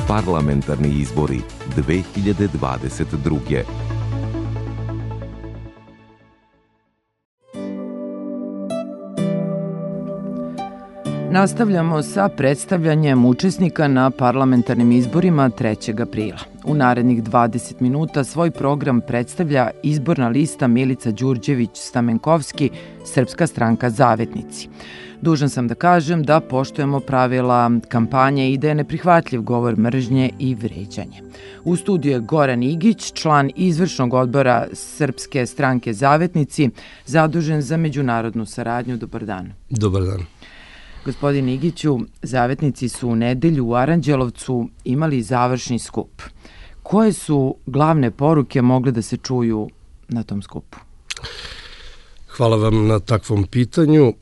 Parlamentarni izbori 2022. Nastavljamo sa predstavljanjem učesnika na parlamentarnim izborima 3. aprila. U narednih 20 minuta svoj program predstavlja izborna lista Milica Đurđević-Stamenkovski, Srpska stranka Zavetnici. Dužan sam da kažem da poštujemo pravila kampanje i da je neprihvatljiv govor mržnje i vređanje. U studiju je Goran Igić, član izvršnog odbora Srpske stranke Zavetnici, zadužen za međunarodnu saradnju. Dobar dan. Dobar dan. Gospodin Igiću, Zavetnici su u nedelju u Aranđelovcu imali završni skup. Koje su glavne poruke mogle da se čuju na tom skupu? Hvala vam na takvom pitanju.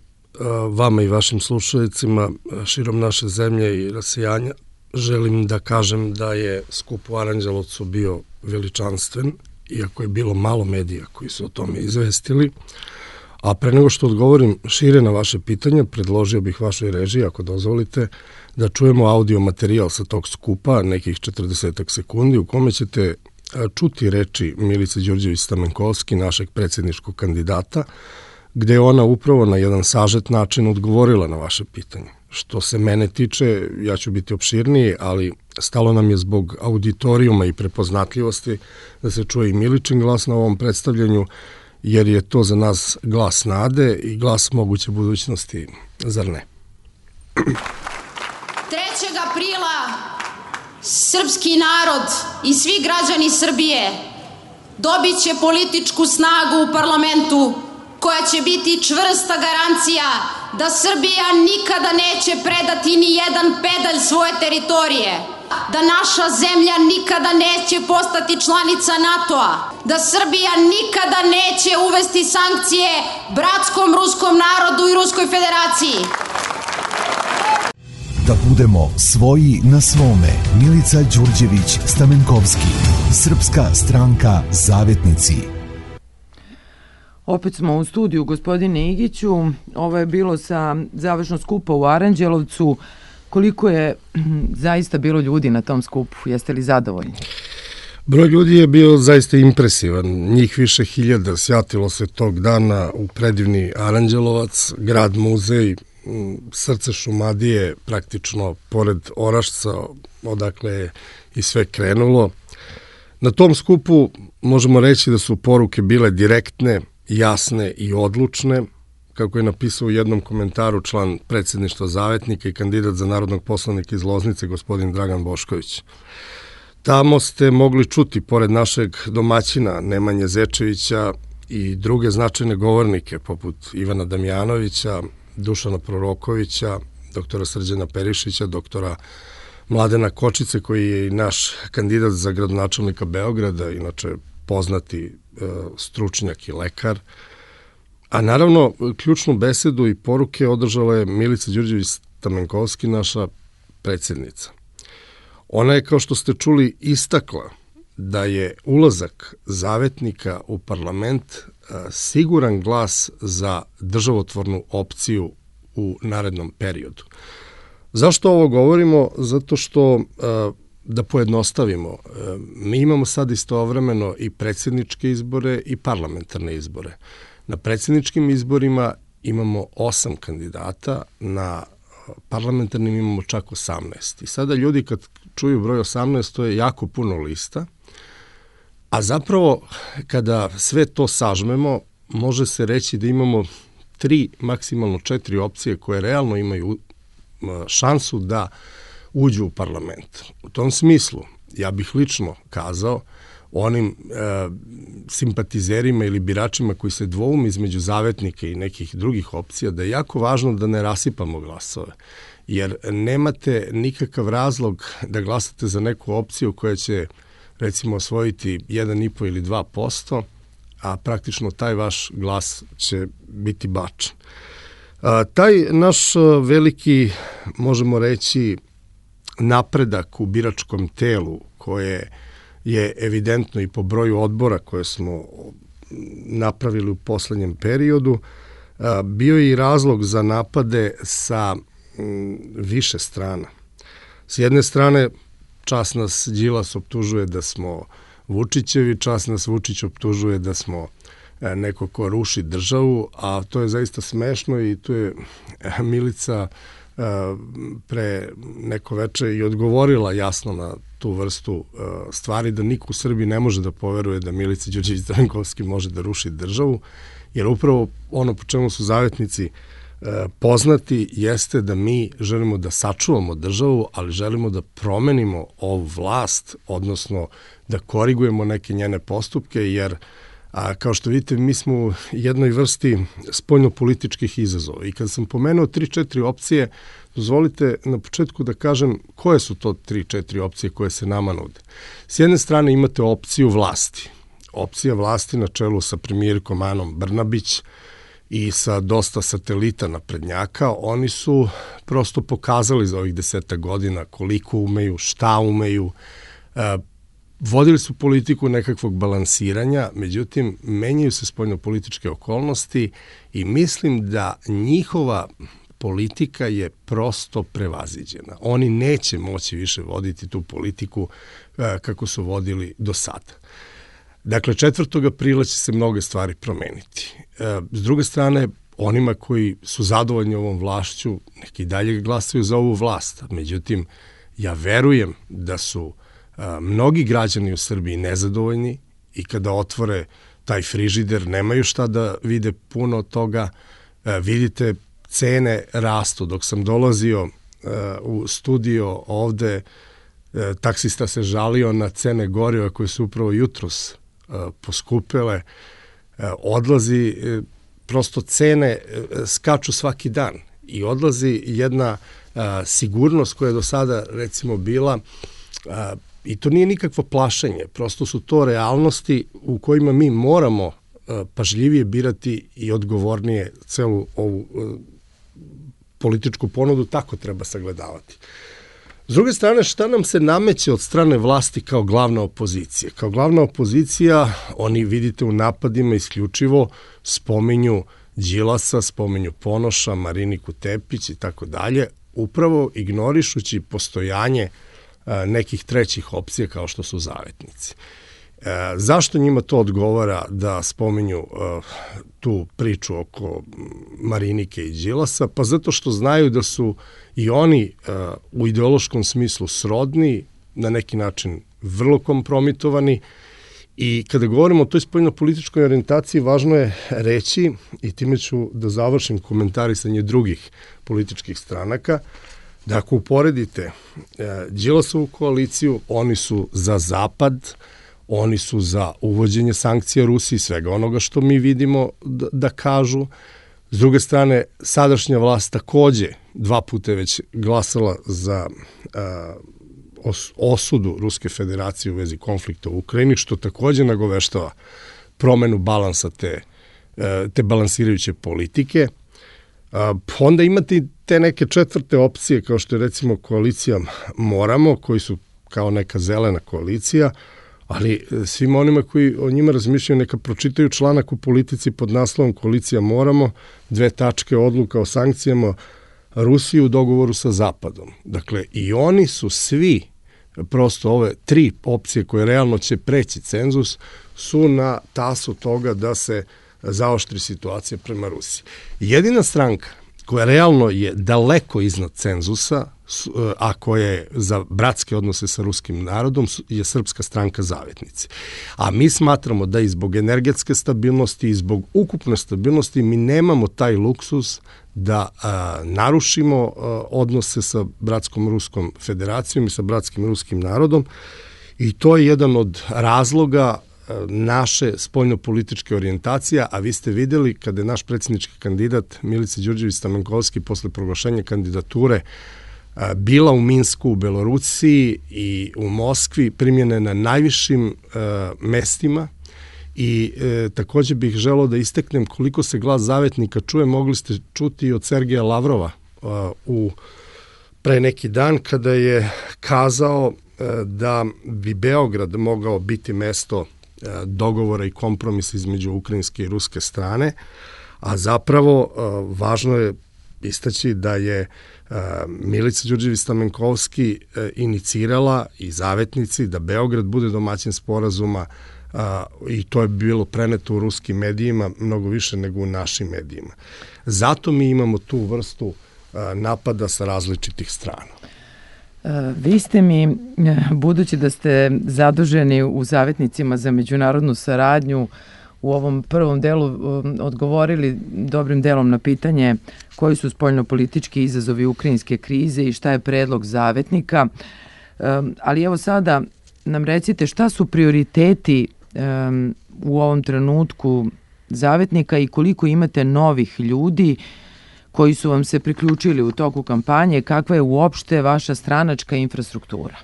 Vama i vašim slušalicima širom naše zemlje i rasijanja želim da kažem da je skup u Aranđelovcu bio veličanstven, iako je bilo malo medija koji su o tome izvestili. A pre nego što odgovorim šire na vaše pitanje, predložio bih vašoj režiji, ako dozvolite, da čujemo audio materijal sa tog skupa, nekih 40 sekundi, u kome ćete čuti reči Milice Đurđević-Stamenkovski, našeg predsjedničkog kandidata, gde je ona upravo na jedan sažet način odgovorila na vaše pitanje. Što se mene tiče, ja ću biti opširniji, ali stalo nam je zbog auditorijuma i prepoznatljivosti da se čuje i Miličin glas na ovom predstavljanju, jer je to za nas glas nade i glas moguće budućnosti, zar ne? 3. aprila srpski narod i svi građani Srbije dobit će političku snagu u parlamentu koja će biti čvrsta garancija da Srbija nikada neće predati ni jedan pedalj svoje teritorije, da naša zemlja nikada neće postati članica NATO-a, da Srbija nikada neće uvesti sankcije bratskom ruskom narodu i Ruskoj federaciji. Da budemo svoji na svome. Milica Đurđević-Stamenkovski, Srpska stranka Zavetnici. Opet smo u studiju, gospodine Igiću. Ovo je bilo sa završnog skupa u Aranđelovcu. Koliko je zaista bilo ljudi na tom skupu? Jeste li zadovoljni? Broj ljudi je bio zaista impresivan. Njih više hiljada sjatilo se tog dana u predivni Aranđelovac, grad muzej, srce Šumadije, praktično pored Orašca, odakle je i sve krenulo. Na tom skupu možemo reći da su poruke bile direktne, jasne i odlučne, kako je napisao u jednom komentaru član predsjedništva Zavetnika i kandidat za narodnog poslanika iz Loznice, gospodin Dragan Bošković. Tamo ste mogli čuti, pored našeg domaćina Nemanje Zečevića, i druge značajne govornike, poput Ivana Damjanovića, Dušana Prorokovića, doktora Srđana Perišića, doktora Mladena Kočice, koji je i naš kandidat za gradonačelnika Beograda, inače poznati stručnjak i lekar. A naravno, ključnu besedu i poruke održala je Milica Đurđević-Stamenkovski, naša predsjednica. Ona je, kao što ste čuli, istakla da je ulazak Zavetnika u parlament siguran glas za državotvornu opciju u narednom periodu. Zašto ovo govorimo? Zato što, da pojednostavimo, mi imamo sad istovremeno i predsjedničke izbore i parlamentarne izbore. Na predsjedničkim izborima imamo 8 kandidata, na parlamentarnim imamo čak 18. I sada ljudi kad čuju broj 18, to je jako puno lista, a zapravo kada sve to sažmemo, može se reći da imamo 3, maksimalno 4 opcije koje realno imaju šansu da uđu u parlament. U tom smislu, ja bih lično kazao onim simpatizerima ili biračima koji se dvoume između Zavetnika i nekih drugih opcija, da je jako važno da ne rasipamo glasove. Jer nemate nikakav razlog da glasate za neku opciju koja će, recimo, osvojiti 1,5 ili 2%, a praktično taj vaš glas će biti bačen. Taj naš veliki, možemo reći, napredak u biračkom telu, koje je evidentno i po broju odbora koje smo napravili u poslednjem periodu, bio je i razlog za napade sa više strana. S jedne strane, čas nas Đilas optužuje da smo Vučićevi, čas nas Vučić optužuje da smo neko ko ruši državu, a to je zaista smešno i tu je Milica pre neko veče i odgovorila jasno na tu vrstu stvari, da niko u Srbiji ne može da poveruje da Milica Đurđević Stamenkovski može da ruši državu, jer upravo ono po čemu su zavetnici poznati jeste da mi želimo da sačuvamo državu, ali želimo da promenimo ovu vlast, odnosno da korigujemo neke njene postupke, jer kao što vidite, mi smo u jednoj vrsti spoljnopolitičkih izazova. I kad sam pomenuo 3-4 opcije, dozvolite na početku da kažem koje su to 3-4 opcije koje se nama nude. S jedne strane imate opciju vlasti. Opcija vlasti na čelu sa premijerkom Anom Brnabić i sa dosta satelita naprednjaka. Oni su prosto pokazali za ovih 10 godina koliko umeju, šta umeju. Vodili su politiku nekakvog balansiranja, međutim, menjaju se spoljnopolitičke okolnosti i mislim da njihova politika je prosto prevaziđena. Oni neće moći više voditi tu politiku kako su vodili do sada. Dakle, 4. aprila će se mnoge stvari promeniti. S druge strane, onima koji su zadovoljni ovom vlašću, neki dalje glasaju za ovu vlast. Međutim, ja verujem da su mnogi građani u Srbiji nezadovoljni i kada otvore taj frižider nemaju šta da vide puno od toga. Vidite, cene rastu. Dok sam dolazio u studio ovde, taksista se žalio na cene goriva koje su upravo jutros poskupele. Odlazi, prosto cene skaču svaki dan i odlazi jedna sigurnost koja je do sada recimo bila, i to nije nikakvo plašenje, prosto su to realnosti u kojima mi moramo pažljivije birati i odgovornije celu ovu političku ponudu, tako treba sagledavati. S druge strane, šta nam se nameće od strane vlasti kao glavna opozicija? Kao glavna opozicija, oni vidite u napadima isključivo spominju Đilasa, spominju Ponoša, Mariniku Tepić i tako dalje, upravo ignorišući postojanje nekih trećih opcija kao što su zavetnici. Zašto njima to odgovara da spominju tu priču oko Marinike i Đilasa? Pa zato što znaju da su i oni u ideološkom smislu srodni, na neki način vrlo kompromitovani, i kada govorimo o toj spoljnopolitičkoj orijentaciji, važno je reći, i time ću da završim komentarisanje drugih političkih stranaka, da ako uporedite Đilasovu koaliciju, oni su za Zapad, oni su za uvođenje sankcija Rusiji, svega onoga što mi vidimo da kažu. S druge strane, sadašnja vlast takođe 2 puta već glasala za osudu Ruske federacije u vezi konflikta u Ukrajini, što takođe nagoveštava promenu balansa te balansirajuće politike. Onda imate te neke četvrte opcije, kao što je recimo koalicija Moramo, koji su kao neka zelena koalicija, ali svima onima koji o njima razmišljaju neka pročitaju članak u Politici pod naslovom Koalicija Moramo, 2 tačke odluka o sankcijama Rusiji u dogovoru sa Zapadom. Dakle, i oni su svi, prosto ove 3 opcije koje realno će preći cenzus, su na tasu toga da se zaoštri situacija prema Rusiji. Jedina stranka koja realno je daleko iznad cenzusa, a koja je za bratske odnose sa ruskim narodom, je Srpska stranka Zavetnici. A mi smatramo da i zbog energetske stabilnosti i zbog ukupne stabilnosti mi nemamo taj luksus da narušimo odnose sa bratskom Ruskom federacijom i sa bratskim ruskim narodom, i to je jedan od razloga naše spoljnopolitičke orijentacije, a vi ste videli kada je naš predsjednički kandidat Milica Đurđević Stamenkovski posle proglašenja kandidature bila u Minsku, u Belorusiji i u Moskvi, primljena na najvišim mestima, i takođe bih želeo da isteknem koliko se glas zavetnika čuje, mogli ste čuti od Sergeja Lavrova pre neki dan kada je kazao da bi Beograd mogao biti mesto dogovora i kompromisa između ukrajinske i ruske strane, a zapravo važno je istaći da je Milica Đurđević-Stamenkovski inicirala i zavetnici da Beograd bude domaćin sporazuma i to je bilo preneto u ruskim medijima mnogo više nego u našim medijima. Zato mi imamo tu vrstu napada sa različitih strana. Vi ste mi, budući da ste zaduženi u Zavetnicima za međunarodnu saradnju, u ovom prvom delu odgovorili dobrim delom na pitanje koji su spoljnopolitički izazovi ukrajinske krize i šta je predlog Zavetnika. Ali evo sada nam recite šta su prioriteti u ovom trenutku Zavetnika i koliko imate novih ljudi koji su vam se priključili u toku kampanje, kakva je uopšte vaša stranačka infrastruktura?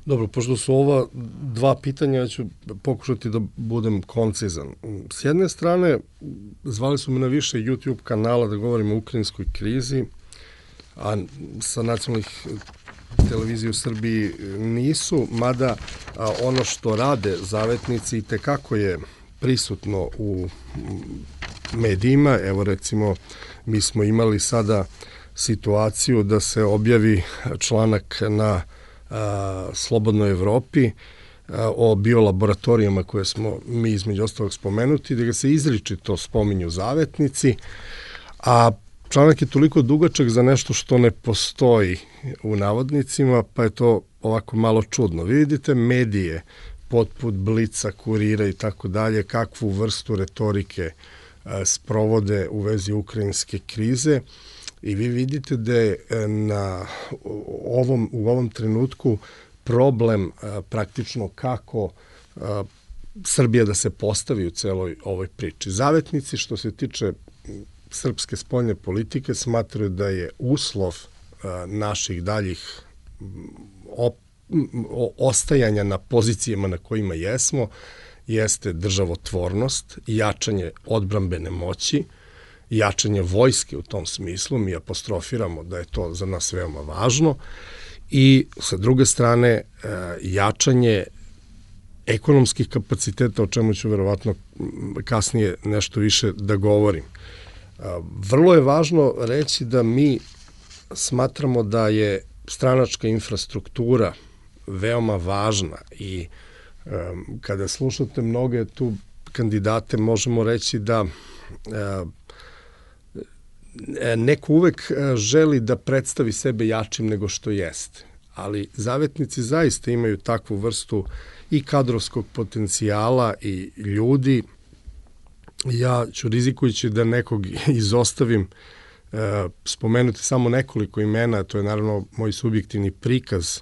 Dobro, pošto su ova dva pitanja, ja ću pokušati da budem koncizan. S jedne strane, zvali su me na više YouTube kanala da govorim o ukrajinskoj krizi, a sa nacionalnih televizija u Srbiji nisu, mada ono što rade zavetnici i tekako je prisutno u medijima. Evo recimo, mi smo imali sada situaciju da se objavi članak na Slobodnoj Evropi o biolaboratorijama koje smo mi između ostalog spomenuti, da ga se izričito spominju zavetnici, a članak je toliko dugačak za nešto što ne postoji u navodnicima, pa je to ovako malo čudno. Vidite medije poput Blica, Kurira i tako dalje, kakvu vrstu retorike sprovode u vezi ukrajinske krize i vi vidite da je u ovom trenutku problem praktično kako Srbija da se postavi u celoj ovoj priči. Zavetnici, što se tiče srpske spoljne politike, smatraju da je uslov naših daljih ostajanja na pozicijama na kojima jesmo, jeste državotvornost, jačanje odbrambene moći, jačanje vojske u tom smislu, mi apostrofiramo da je to za nas veoma važno, i sa druge strane jačanje ekonomskih kapaciteta, o čemu ću verovatno kasnije nešto više da govorim. Vrlo je važno reći da mi smatramo da je stranačka infrastruktura veoma važna i kada slušate mnoge tu kandidate možemo reći da neko uvek želi da predstavi sebe jačim nego što jeste, ali zavetnici zaista imaju takvu vrstu i kadrovskog potencijala i ljudi. Ja ću, rizikujući da nekog izostavim, spomenuti samo nekoliko imena, to je naravno moj subjektivni prikaz,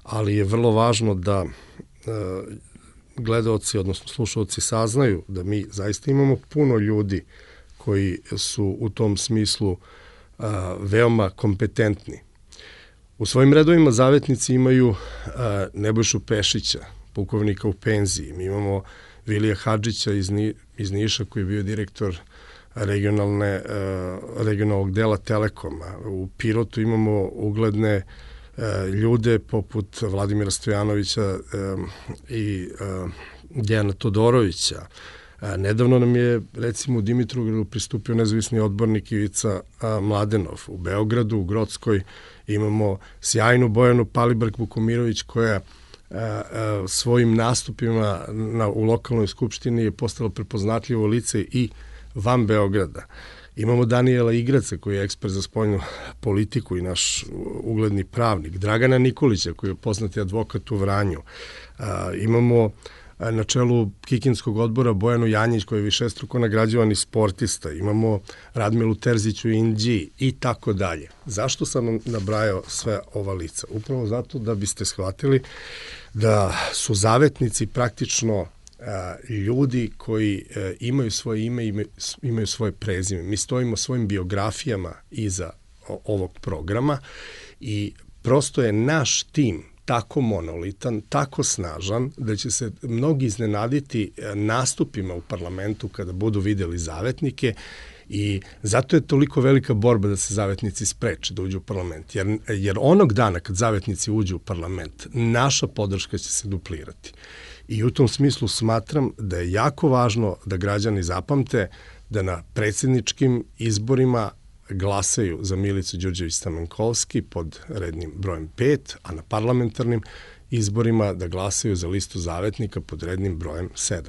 ali je vrlo važno da gledaoci, odnosno slušaoci saznaju da mi zaista imamo puno ljudi koji su u tom smislu veoma kompetentni. U svojim redovima zavetnici imaju Nebojšu Pešića, pukovnika u penziji. Mi imamo Vilija Hadžića iz Niša koji je bio direktor regionalnog dela Telekoma. U Pirotu imamo ugledne ljude poput Vladimira Stojanovića i Dejana Todorovića. Nedavno nam je, recimo, u Dimitrovgradu pristupio nezavisni odbornik Ivica Mladenov. U Beogradu, u Grockoj imamo sjajnu Bojanu Palibrk-Vukomirović koja svojim nastupima u lokalnoj skupštini je postala prepoznatljivo lice i van Beograda. Imamo Danijela Igraca koji je ekspert za spoljnu politiku i naš ugledni pravnik. Dragana Nikolića koji je poznati advokat u Vranju. Imamo na čelu Kikinskog odbora Bojanu Janjić koji je višestruko nagrađivani sportista. Imamo Radmilu Terzić u Inđiji i tako dalje. Zašto sam vam nabrajao sve ova lica? Upravo zato da biste shvatili da su zavetnici praktično ljudi koji imaju svoje ime i imaju svoje prezime. Mi stojimo svojim biografijama iza ovog programa i prosto je naš tim tako monolitan, tako snažan, da će se mnogi iznenaditi nastupima u parlamentu kada budu videli zavetnike i zato je toliko velika borba da se zavetnici spreče da uđu u parlament. Jer onog dana kad zavetnici uđu u parlament, naša podrška će se duplirati. I u tom smislu smatram da je jako važno da građani zapamte da na predsjedničkim izborima glasaju za Milicu Đurđević Stamenkovski pod rednim brojem 5, a na parlamentarnim izborima da glasaju za listu Zavetnika pod rednim brojem 7.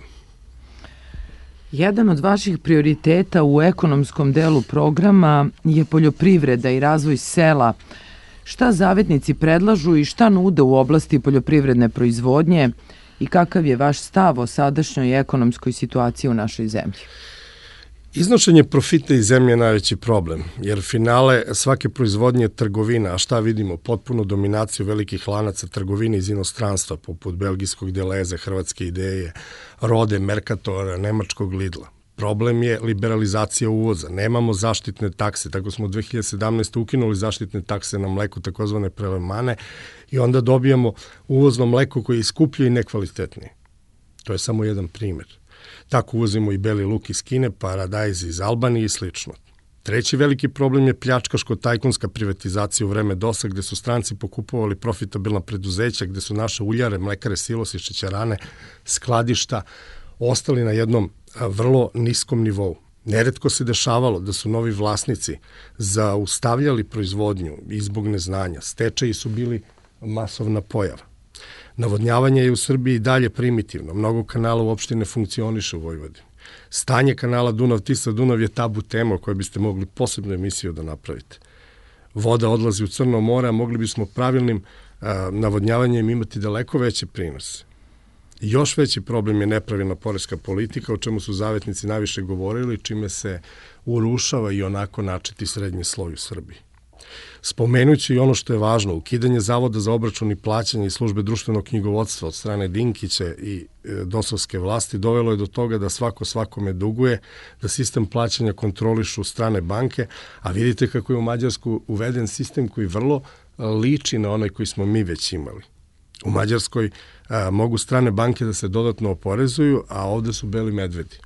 Jedan od vaših prioriteta u ekonomskom delu programa je poljoprivreda i razvoj sela. Šta Zavetnici predlažu i šta nude u oblasti poljoprivredne proizvodnje i kakav je vaš stav o sadašnjoj ekonomskoj situaciji u našoj zemlji? Iznošenje profita iz zemlje je najveći problem, jer finale svake proizvodnje je trgovina, a šta vidimo? Potpuno dominaciju velikih lanaca trgovine iz inostranstva, poput belgijskog Deleze, Hrvatske Ideje, Rode, Mercatora, nemačkog Lidla. Problem je liberalizacija uvoza. Nemamo zaštitne takse, tako smo 2017. ukinuli zaštitne takse na mleku, takozvane prelemane, i onda dobijamo uvozno mleko koje je skuplje i nekvalitetnije. To je samo jedan primer. Tako uvozimo i beli luk iz Kine, paradajz iz Albanije i slično. Treći veliki problem je pljačkaško-tajkunska privatizacija u vreme DOS-a, gde su stranci pokupovali profitabilna preduzeća, gde su naše uljare, mlekare, silosi, šećerane, skladišta ostali na jednom vrlo niskom nivou. Neretko se dešavalo da su novi vlasnici zaustavljali proizvodnju i zbog neznanja. Stečaji su bili masovna pojava. Navodnjavanje je u Srbiji dalje primitivno. Mnogo kanala uopšte ne funkcioniše u Vojvodini. Stanje kanala Dunav-Tisa-Dunav je tabu tema o kojoj biste mogli posebnu emisiju da napravite. Voda odlazi u Crno more, a mogli bismo pravilnim navodnjavanjem imati daleko veće prinose. Još veći problem je nepravilna poreska politika, o čemu su Zavetnici najviše govorili, čime se urušava i onako načeti srednji sloj u Srbiji. Spomenući i ono što je važno, ukidanje Zavoda za obračun i plaćanje i službe društvenog knjigovodstva od strane Dinkića i dosovske vlasti dovelo je do toga da svako svakome duguje, da sistem plaćanja kontrolišu strane banke, a vidite kako je u Mađarsku uveden sistem koji vrlo liči na onaj koji smo mi već imali. U Mađarskoj mogu strane banke da se dodatno oporezuju, a ovde su beli medvedi.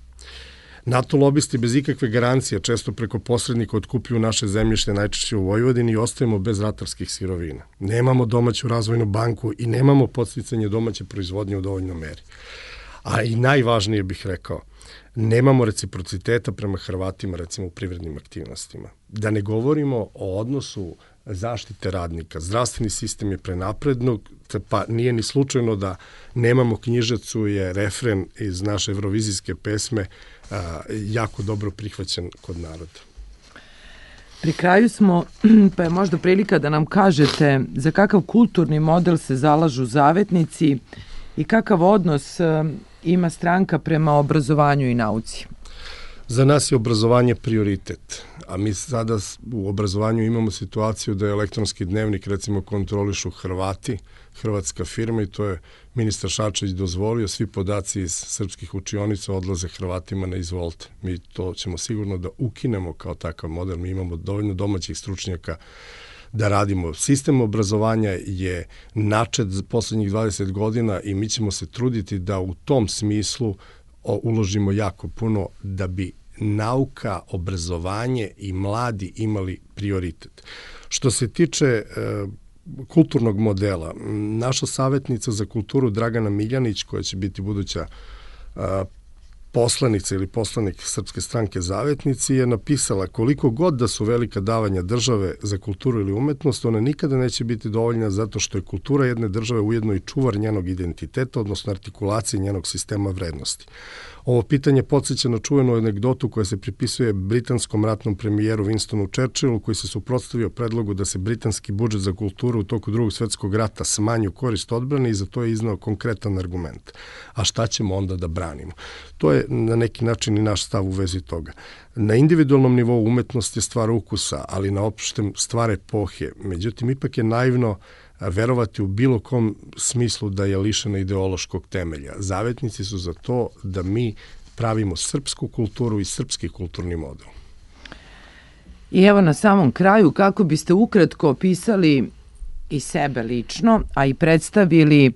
NATO lobisti bez ikakve garancije često preko posrednika otkupljuju naše zemljište, najčešće u Vojvodini, i ostajemo bez ratarskih sirovina. Nemamo domaću razvojnu banku i nemamo podsticanje domaće proizvodnje u dovoljnoj meri. A i najvažnije bih rekao, nemamo reciprociteta prema Hrvatima, recimo u privrednim aktivnostima. Da ne govorimo o odnosu zaštite radnika. Zdravstveni sistem je prenaprednog, pa nije ni slučajno da nemamo knjižacu, je refren iz naše evrovizijske pesme jako dobro prihvaćen kod naroda. Pri kraju smo, pa je možda prilika da nam kažete za kakav kulturni model se zalažu Zavetnici i kakav odnos ima stranka prema obrazovanju i nauci. Za nas je obrazovanje prioritet, a mi sada u obrazovanju imamo situaciju da je elektronski dnevnik, recimo, kontrolišu Hrvati, hrvatska firma, i to je ministar Šarčević dozvolio, svi podaci iz srpskih učionica odlaze Hrvatima na izvolte. Mi to ćemo sigurno da ukinemo kao takav model, mi imamo dovoljno domaćih stručnjaka da radimo. Sistem obrazovanja je načet za poslednjih 20 godina i mi ćemo se truditi da u tom smislu uložimo jako puno da bi nauka, obrazovanje i mladi imali prioritet. Što se tiče kulturnog modela, naša savjetnica za kulturu Dragana Miljanić, koja će biti buduća poslanica ili poslanik Srpske stranke Zavetnici, je napisala: koliko god da su velika davanja države za kulturu ili umetnost, ona nikada neće biti dovoljna, zato što je kultura jedne države ujedno i čuvar njenog identiteta, odnosno artikulacije njenog sistema vrednosti. Ovo pitanje podsjeća na čuvenu anegdotu koja se pripisuje britanskom ratnom premijeru Winstonu Churchillu, koji se suprotstavio predlogu da se britanski budžet za kulturu u toku Drugog svetskog rata smanji u korist odbrane, i za to je iznao konkretan argument. A šta ćemo onda da branimo? To je na neki način i naš stav u vezi toga. Na individualnom nivou umetnost je stvar ukusa, ali na opštem stvar epohe. Međutim, ipak je naivno verovati u bilo kom smislu da je lišena ideološkog temelja. Zavetnici su za to da mi pravimo srpsku kulturu i srpski kulturni model. I evo na samom kraju, kako biste ukratko opisali i sebe lično, a i predstavili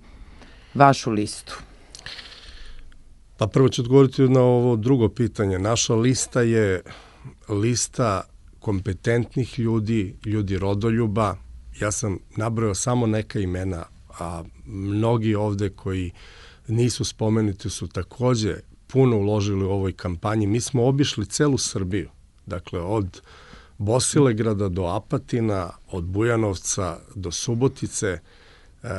vašu listu? Pa prvo ću odgovoriti na ovo drugo pitanje. Naša lista je lista kompetentnih ljudi, ljudi rodoljuba. Ja sam nabrojao samo neka imena, a mnogi ovde koji nisu spomenuti su takođe puno uložili u ovoj kampanji. Mi smo obišli celu Srbiju, dakle od Bosilegrada do Apatina, od Bujanovca do Subotice,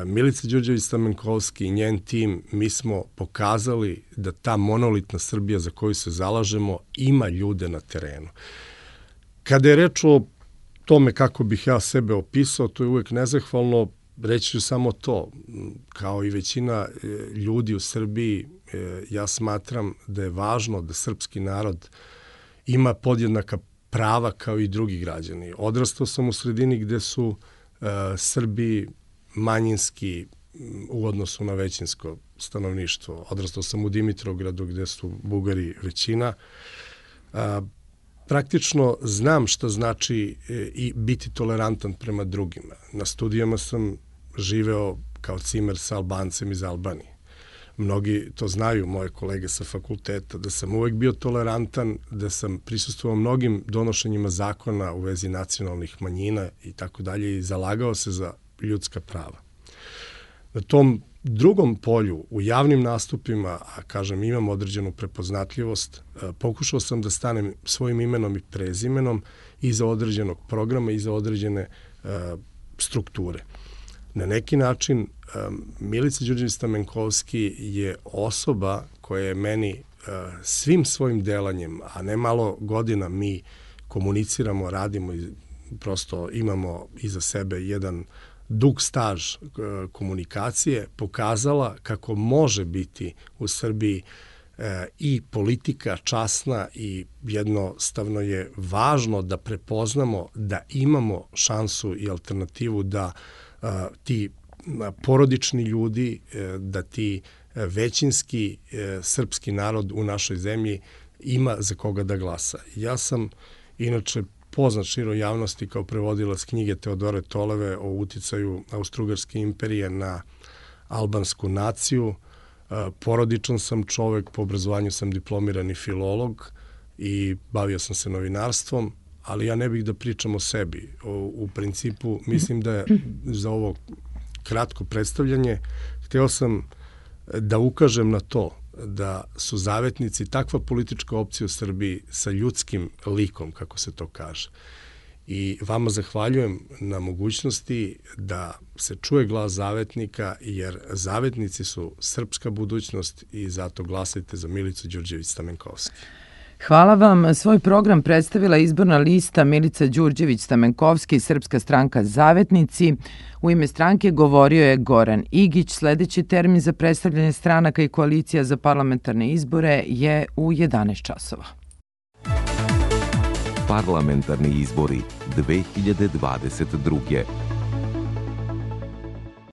Milica Đurđević-Stamenkovski i njen tim, mi smo pokazali da ta monolitna Srbija za koju se zalažemo ima ljude na terenu. Kada je reč o tome kako bih ja sebe opisao, to je uvek nezahvalno, reći ću samo to. Kao i većina ljudi u Srbiji, ja smatram da je važno da srpski narod ima podjednaka prava kao i drugi građani. Odrastao sam u sredini gde su Srbi manjinski u odnosu na većinsko stanovništvo. Odrastao sam u Dimitrovgradu gde su Bugari većina. Praktično znam šta znači i biti tolerantan prema drugima. Na studijama sam živeo kao cimer sa Albancem iz Albanije. Mnogi to znaju, moje kolege sa fakulteta, da sam uvek bio tolerantan, da sam prisustvovao mnogim donošenjima zakona u vezi nacionalnih manjina i tako dalje i zalagao se za ljudska prava. Na tom drugom polju, u javnim nastupima, a kažem imam određenu prepoznatljivost, pokušao sam da stanem svojim imenom i prezimenom iza određenog programa, iza određene strukture. Na neki način Milica Đurđević-Stamenkovski je osoba koja je meni svim svojim delanjem, a ne malo godina mi komuniciramo, radimo i prosto imamo iza sebe jedan dug staž komunikacije, pokazala kako može biti u Srbiji i politika časna i jednostavno je važno da prepoznamo da imamo šansu i alternativu da ti porodični ljudi, da ti većinski srpski narod u našoj zemlji ima za koga da glasa. Ja sam inače poznat široj javnosti kao prevodilac knjige Teodore Toleve o uticaju Austro-Ugarske imperije na albansku naciju. Porodičan sam čovek, po obrazovanju sam diplomirani filolog i bavio sam se novinarstvom, ali ja ne bih da pričam o sebi. U principu, mislim da je za ovo kratko predstavljanje hteo sam da ukažem na to da su zavetnici takva politička opcija u Srbiji sa ljudskim likom, kako se to kaže. I vama zahvaljujem na mogućnosti da se čuje glas zavetnika, jer zavetnici su srpska budućnost i zato glasajte za Milicu Đurđević-Stamenkovski. Hvala vam. Svoj program predstavila izborna lista Milica Đurđević-Stamenkovski, Srpska stranka Zavetnici. U ime stranke govorio je Goran Igić. Sledeći termin za predstavljanje stranaka i koalicija za parlamentarne izbore je u 11 časova. Parlamentarni izbori 2022.